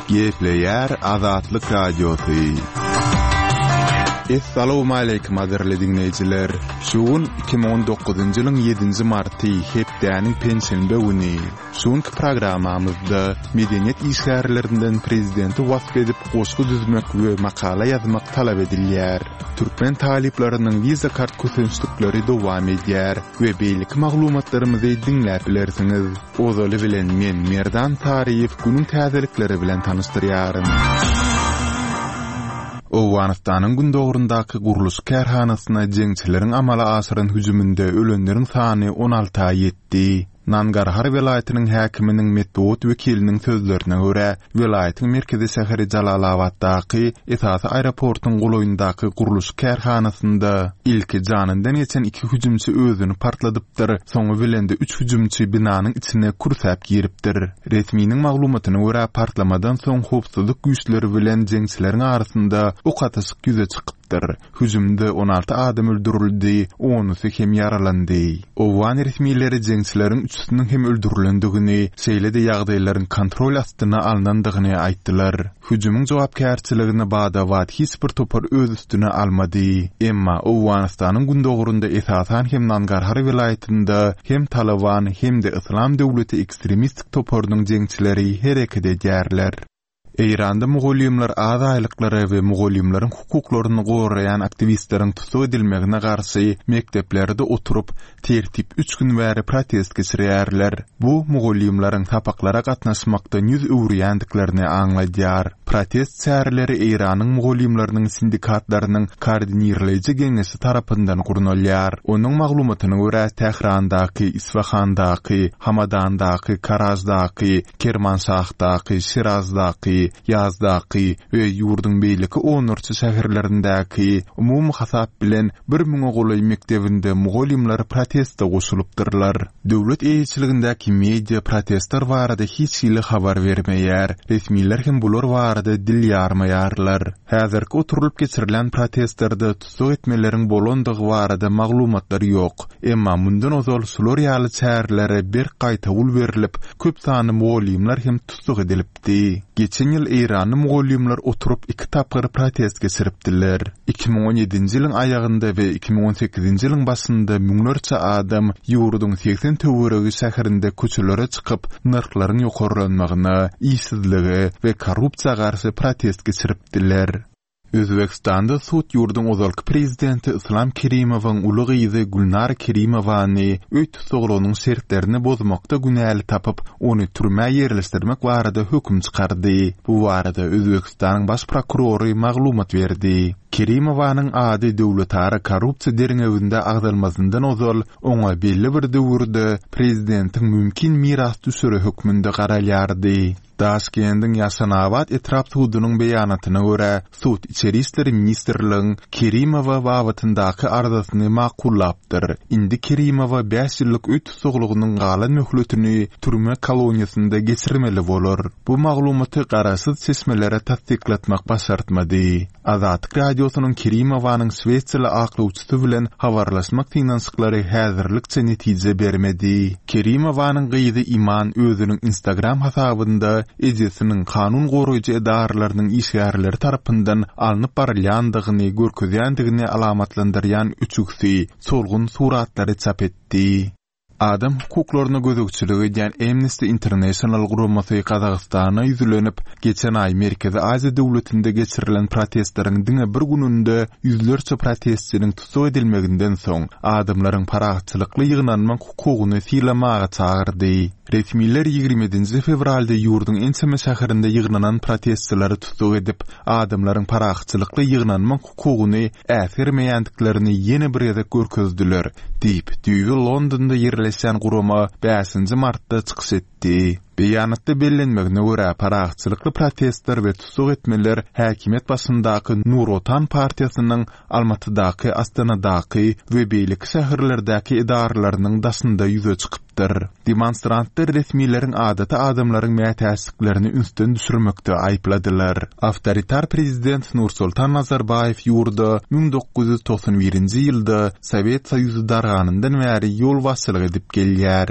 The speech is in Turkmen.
Gepleýär Azatlyk Radiosy. Essalawmaleýkim gadyrly diňleýjiler! Şu gün 2019-njy ýylyň ýedinji marty, hepdäniň penşenbe güni. Şu günki programmamyzda medeniýet işgärlerinden prezidenti wasp edip goşgy düzmek we makala ýazmak talap edilýär. Türkmen talyplarynyň wiza kart kösençlikleri dowam edýär we beýleki maglumatlarymyzy diňläp bilersiňiz. Ozaly bilen men Merdan Saryýew günüň täzelikleri bilen tanyşdyrýaryn. Owganystanyň gündogaryndaky gurluşyk kärhanasyna jeňçileriň amala aşyran hüjüminde ölenleriň sany on alta ýetdi. Nangarhar welaýatynyň häkiminiň metbugat wekiliniň sözlerine görä, welaýatyň merkezi şäheri Jalalabatdaky esasy aeroportuň golaýyndaky gurluşyk kärhanasynda ilki janyndan geçen iki hüjümçi özüni partladypdyr, soňy bilen-de üç hüjümçi binanyň içine kürsäp giripdir. Resminiň maglumatyna görä, partlamadan soň howpsuzlyk güýçleri bilen jeňçileriň arasynda ok atyşyk ýüze çykypdyr. Hüjümde 16 adam öldürildi, onusy hem ýaralandy. Owgan resmileri jeňçileriň üçüsiniň hem öldürilendigini, şeýle-de ýagdaýlaryň kontrol astyna alnandygyny aýtdylar. Hüjümiň jogapkärçiligini bada-bat hiç bir topar öz üstüne almady. Emma Owganystanyň gündogarynda esasan hem Nangarhar welaýatynda hem Talyban hem-de Yslam döwleti ekstremistik toparynyň jeňçileri hereket edýärler. Eýranda mugallymlar az aýlyklara we mugallymlaryň hukuklaryny goraýan aktiwistleriň tussag edilmegine garşy mekdeplerde oturyp, tertip üç gün bäri protest geçirýärler. Bu, mugallymlaryň sapaklara gatnaşmakdan ýüz öwürýändiklerini aňladýar. Protest çäreleri Eýranyň mugallymlarynyň sindikatlarynyň koordinirleýji geňeşi tarapyndan gurnalýar. Onuň maglumatyna görä, Tährandaky, Isfahandaky, Hamadandaky, Karajdaky, Kermanşahdaky, Şirazdaky, Ýazdaky we ýurduň beýleki onlarça şäherlerindäki, umumy hasap bilen, bir müňe golaý mekdebinde mugallymlar proteste goşulypdyrlar. Döwlet eýeçiligindäki media protestler barada hiç hili habar bermeýär, resmiler hem bular barada dil ýarmaýarlar. Häzirki oturylyp geçirilen protestlerde tussag etmeleriň bolandygy barada maglumatlar ýok. Emma mundan ozal şular ýaly çärelere berk gaýtawul berlip, köp sanly mugallymlar hem tussag edilipdi. Geçen ýyl eýranly mugallymlar oturyp iki tapgyr protest geçiripdiler. 2017-nji ýylyň aýagynda we 2018-nji ýylyň başynda müňlerçe adam ýurduň 80 töweregi şäherinde köçelere çykyp, nyrhlaryň ýokarlanmagyna, işsizlige we korrupsiýa garşy protest geçiripdiler. Özbegistanda sud ýurduň ozalky prezidenti Yslam Kerimowyň uly gyzy Gülnara Kerimowany öý tussaglygynyň şertlerini bozmakda günäli tapyp, ony türmä ýerleşdirmek barada höküm çykardy. Bu barada Özbegistanyň baş prokurory maglumat berdi. Kerimowanyň ady döwletara korrupsiýa derňewinde agzalmazyndan ozal, oňa belli bir döwürde prezidentiň mümkin mirasdüşeri hökmünde garalýardy. Daşkendiň Ýaşanabat etrap sudunyň beýanatyna görä, sud Içeri işler ministrligiň Kerimowa babatyndaky arzasyny makullapdyr. Indi Kerimowa bäş ýyllyk öý tussaglygynyň galan möhletini türme koloniýasynda geçirmeli bolar. Bu maglumaty garaşsyz çeşmelere tassyklatmak başartmady. Azatlyk Radiosynyň Kerimowanyň şwesiýaly aklawçysy bilen habarlaşmak synanyşyklary häzirlikçe netije bermedi. Kerimowanyň gyzy Iman özüniň Instagram hasabynda ejesiniň kanun goraýjy edaralarynyň işgärleri tarapyndan alnyp barylýandygyny görkezýändigini alamatlandyrýan öçügsi, solgun suratlary çap etdi. Adam hukuklaryna gözegçilik edýän Amnesty International guramasy Gazagystana ýüzlenip, geçen aý Merkezi Aziýa döwletinde geçirilen protestleriň diňe bir gününde ýüzlerçe protestçiniň tussag edilmeginden soň, adamlaryň parahatçylykly ýygnanmak hukugyny sylamaga çagyrdy. Resmiler 27-nji fewralda ýurduň ençeme şäherinde ýygnanan protestçileri tussag edip, adamlaryň parahatçylykly ýygnanmak hukugyny äsgermeýändiklerini ýene bir gezek görkezdiler, diýip, düýbi Londonda ýerleşýän gurama bäşinji martda çykyş etdi. Beýanatda bellenmegine görä, parahatçylykly protestler we tussag etmeler häkimiýet başyndaky Nur Otan partiýasynyň Almatydaky, Astanadaky we beýleki şäherlerdäki edaralarynyň daşynda ýüze çykypdyr. Demonstrantlar resmileriň adaty adamlaryň mätäçliklerini ünsden düşürmekde aýypladylar. Awtoritar prezident Nursultan Nazarbaýew ýurda 1991-nji ýylda Sowet Soýuzy darganyndan bäri ýolbaşçylyk edip gelýär.